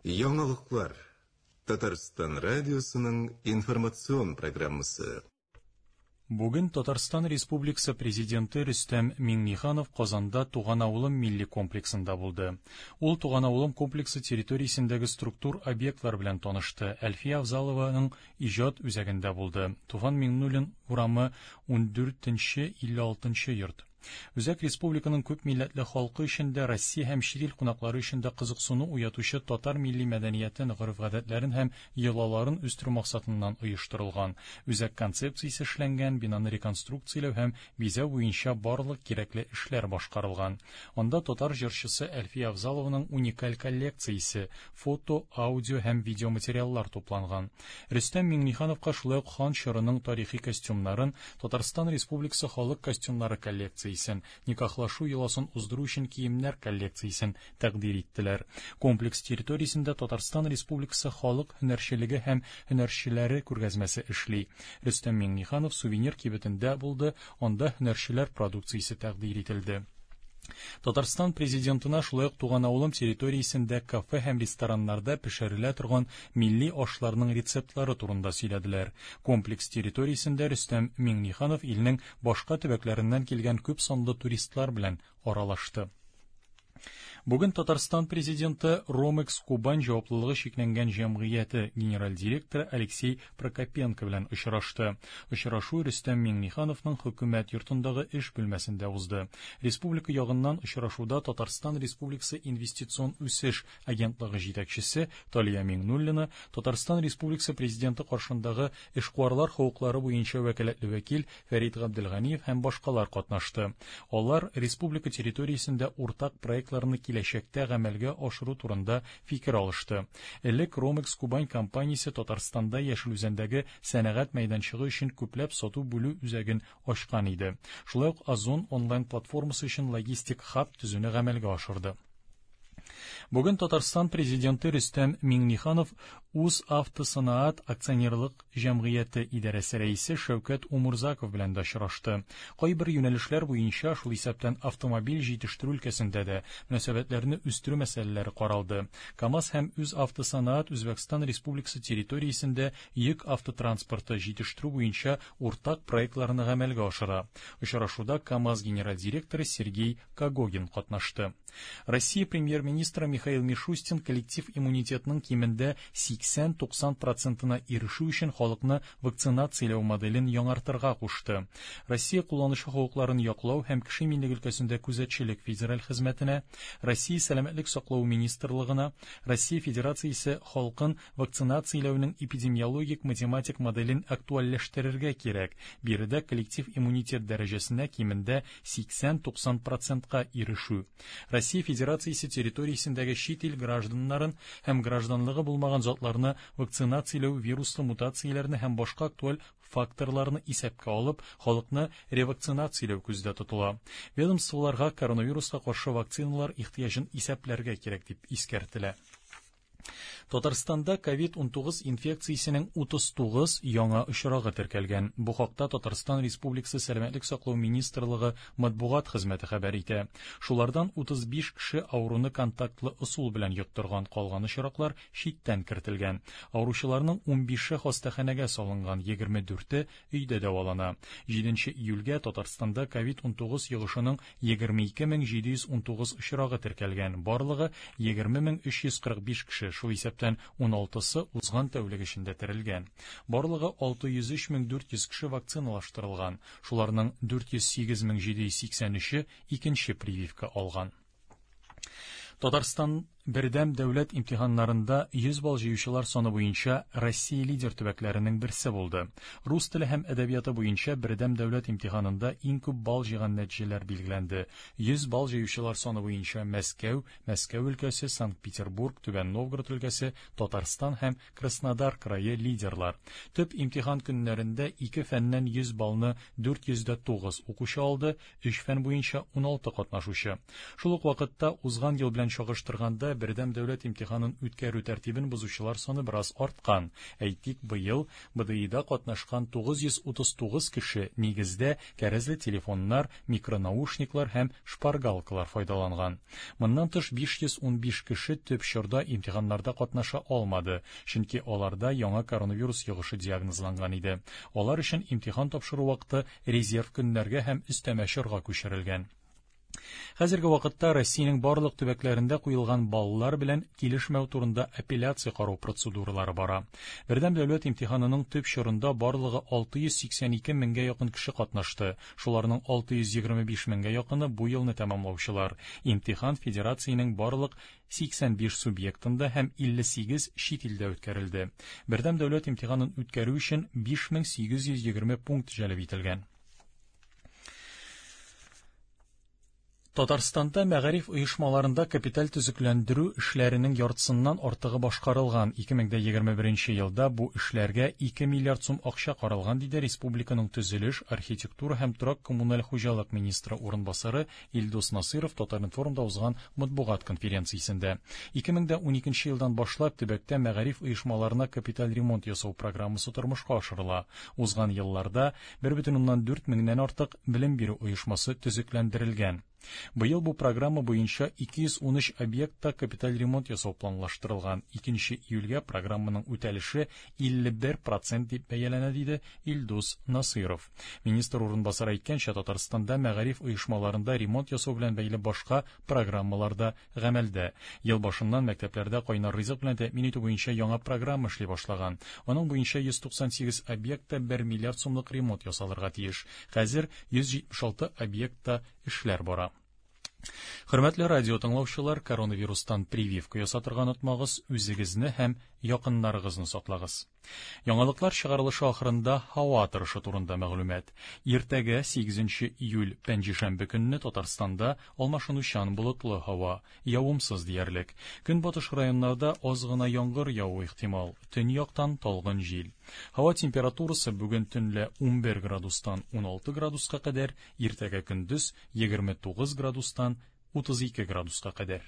Яңалыклар. Татарстан радиосының информацион программасы. Бүген Татарстан Республикасы Президенты Рөстәм Миңнеханов Казанда Туган авылым милли комплексында булды. Ул Туган авылым комплексы территориясендәге структур объектлар белән танышты, Әлфия Авзалованың иҗат үзәгендә булды. Туфан Миңнуллин урамы 14 нче 56 нчы йорт. Үзәк республиканың күп милләтле халкы өчен дә, Россия һәм чит ил кунаклары өчен дә кызыксыну уятучы татар милли мәдәниятен, гореф-гадәтләрен һәм йолаларын үстерү максатыннан оештырылган. Үзәк концепциясе эшләнгән, бинаны реконструкцияләү һәм бизәү буенча барлык кирәкле эшләр башкарылган. Анда татар җырчысы Әлфия Авзалованың уникаль коллекциясе, фото, аудио һәм видеоматериаллар тупланган. Рөстәм Миңнехановка шулай ук хан чорының тарихи костюмнарын, Татарстан Республикасы халык костюмнары коллекциясен, никахлашу йоласын уздыру өчен киемнәр коллекциясен тәкъдир иттеләр. Комплекс территориясендә Татарстан Республикасы халык һөнәрчелеге һәм һөнәрчеләре күргәзмәсе эшли. Рөстәм Миңнеханов сувенир кибетендә булды, анда һөнәрчеләр продукциясе тәкъдир ителде. Татарстан Президентына шулай ук туган авылым территориясендә кафе һәм рестораннарда пешерелә торган милли ашларның рецептлары турында сөйләделәр. Комплекс территориясендә Рөстәм Миңнеханов илнең башка төбәкләреннән килгән күп санлы туристлар белән аралашты. Бүген Татарстан Президенты Ромекс Кубань җаваплылыгы чикләнгән җәмгыяте генераль директоры Алексей Прокопенко белән очрашты. Очрашу Рөстәм Миңнехановның Хөкүмәт йортындагы эш бүлмәсендә узды. Республика ягыннан очрашуда Татарстан Республикасы Инвестицион үсеш агентлыгы җитәкчесе Талия Миңнуллина, Татарстан Республикасы Президенты каршындагы эшкуарлар хокуклары буенча вәкаләтле вәкил Фәрит Габделганиев һәм башкалар катнашты. Алар республика территориясендә уртак проектларны киләчәктә гамәлгә ашыру турында фикер алышты. Элек Ромекс Кубань компаниясе Татарстанда Яшел Үзәндәге сәнәгать мәйданчыгы өчен күпләп сату-бүлү үзәген ачкан иде. Шулай ук Озон онлайн-платформасы өчен логистик хаб төзүне гамәлгә ашырды. Бүген Татарстан Президенты Рөстәм Миңнеханов Узавтосанаат акционерлык җәмгыяте идарәсе рәисе Шәүкәт Умурзаков белән дә очрашты. Кайбер юнәлешләр буенча, шул исәптән автомобиль җитештерү өлкәсендә дә, мөнәсәбәтләрне үстерү мәсьәләләре каралды. КАМАЗ һәм Үзавтосанаат Үзбәкстан Республикасы территориясендә йөк автотранспорты җитештерү буенча уртак проектларны гамәлгә ашыра. Очрашуда КАМАЗ генераль директоры Сергей Когогин катнашты. Россия премьер-министры Михаил Мишустин коллектив иммунитетның кимендә 80-90 процентына ирешү өчен халыкны вакцинацияләү моделен яңартырга кушты. Россия кулланучы хокукларын яклау һәм кеше иминлеге өлкәсендә күзәтчелек федераль хезмәтенә, Россия Сәламәтлек саклау министрлыгына, Россия Федерациясе халкын Вакцинацияләүнең эпидемиологик математик моделен актуальләштерергә кирәк, биредә коллектив иммунитет дәрәҗәсенә кимендә 80-90 процентка ирешү. Россия Федерациясе территориясендәге чит ил гражданнарын һәм гражданлыгы булмаган затларны вакцинацияләү вируслы мутацияләрне һәм башка актуаль факторларны исәпкә алып, халыкны ревакцинацияләү күздә тотыла. Ведомстволарга коронавируска каршы вакциналар ихтыяҗын исәпләргә кирәк дип искәртелә. Татарстанда ковид-19 инфекциясенең 39 яңа очрагы теркәлгән. Бу хакта Татарстан Республикасы Сәламәтлек саклау министрлыгы матбугат хезмәте хәбәр итә. Шулардан 35 кеше авыруны контактлы ысул белән йоктырган, калган очраклар читтән кертелгән. Авыручыларның 15-е хастаханәгә салынган, 24-е өйдә дәвалана. 7 июльгә Татарстанда ковид-19 йогышының 22719 очрагы теркәлгән, барлыгы 20345 кеше, шул исәптән 16-сы узган тәүлек эчендә терелгән. Барлыгы 603400 кеше вакциналаштырылган, шуларның 408783-е икенче прививка алган. Татарстан бердәм дәүләт имтиханнарында 100 балл җыючылар саны буенча Россия лидер төбәкләренең берсе булды. Рус теле һәм әдәбияты буенча бердәм дәүләт имтиханында иң күп балл җыйган нәтиҗәләр билгеләнде. 100 балл җыючылар саны буенча Мәскәү, Мәскәү өлкәсе, Санкт-Петербург, Түбән Новгород өлкәсе, Татарстан һәм Краснодар крае лидерлар. Төп имтихан көннәрендә ике фәннән 100 баллны 409 укучы алды, Өч фән буенча 16 катнашучы. Шул ук вакытта узган ел белән чагыштырганда чорында бердәм дәүләт имтиханын үткәрү тәртибен бозучылар саны бераз арткан. Әйтик, быел БДИда катнашкан 939 кеше нигездә кәрәзле телефоннар, микронаушниклар һәм шпаргалкалар файдаланган. Моннан тыш 515 кеше төп чорда имтиханнарда катнаша алмады, чөнки аларда яңа коронавирус йогышы диагнозланган иде. Алар өчен имтихан тапшыру вакыты резерв көннәргә һәм өстәмә чорга күчерелгән. Хәзерге вакытта Россиянең барлык төбәкләрендә куелган баллар белән килешмәү турында апелляция карау процедуралары бара. Бердәм дәүләт имтиханының төп чорында барлыгы 682 меңгә якын кеше катнашты. Шуларның 625 меңгә якыны бу елны тәмамлаучылар. Имтихан федерациянең барлык 85 субъектында һәм 58 чит илдә үткәрелде. Бердәм дәүләт имтиханын үткәрү өчен 5820 пункт җәлеп ителгән. Татарстанда мәгариф оешмаларында капиталь төзекләндерү эшләренең яртысыннан артыгы башкарылган. 2021 елда бу эшләргә 2 миллиард сум акча каралган, диде республиканың төзелеш, архитектура һәм торак-коммуналь хуҗалык министры урынбасары Илдус Насыйров Татар-информда узган матбугат конференциясендә. 2012 елдан башлап төбәктә мәгариф оешмаларына капиталь ремонт ясау программасы тормышка ашырыла. Узган елларда 1,4 меңнән артык белем бирү оешмасы төзекләндерелгән. Быел бу программа буенча 213 объектта капиталь ремонт ясау планлаштырылган. 2 июльгә программаның үтәлеше 51% дип бәяләнә, диде Илдус Насыйров. Министр урынбасары әйткәнчә, Татарстанда мәгариф оешмаларында ремонт ясау белән бәйле башка программалар да гамәлдә. Ел башыннан мәктәпләрдә кайнар ризык белән тәэмин итү буенча яңа программа эшли башлаган. Аның буенча 198 объектта 1 миллиард сумлык ремонт ясалырга тиеш. Хәзер 176 объектта эшләр бара. Хөрмәтле радио тыңлаучылар, коронавирустан прививка ясатырга онытмагыз, үзегезне һәм якыннарыгызны саклагыз. Яңалыклар чыгарылышы ахырында һава торышы турында мәгълүмат. Иртәгә 8 июль пәнҗешәмбе көнне Татарстанда алмашынучан болытлы һава, явымсыз диярлек. Көнбатыш районнарда аз гына яңгыр явуы ихтимал. Төньяктан талгын җил. Һава температурасы бүген төнлә 11 градустан 16 градуска кадәр, иртәгә көндез 29 градустан 32 градуска кадәр.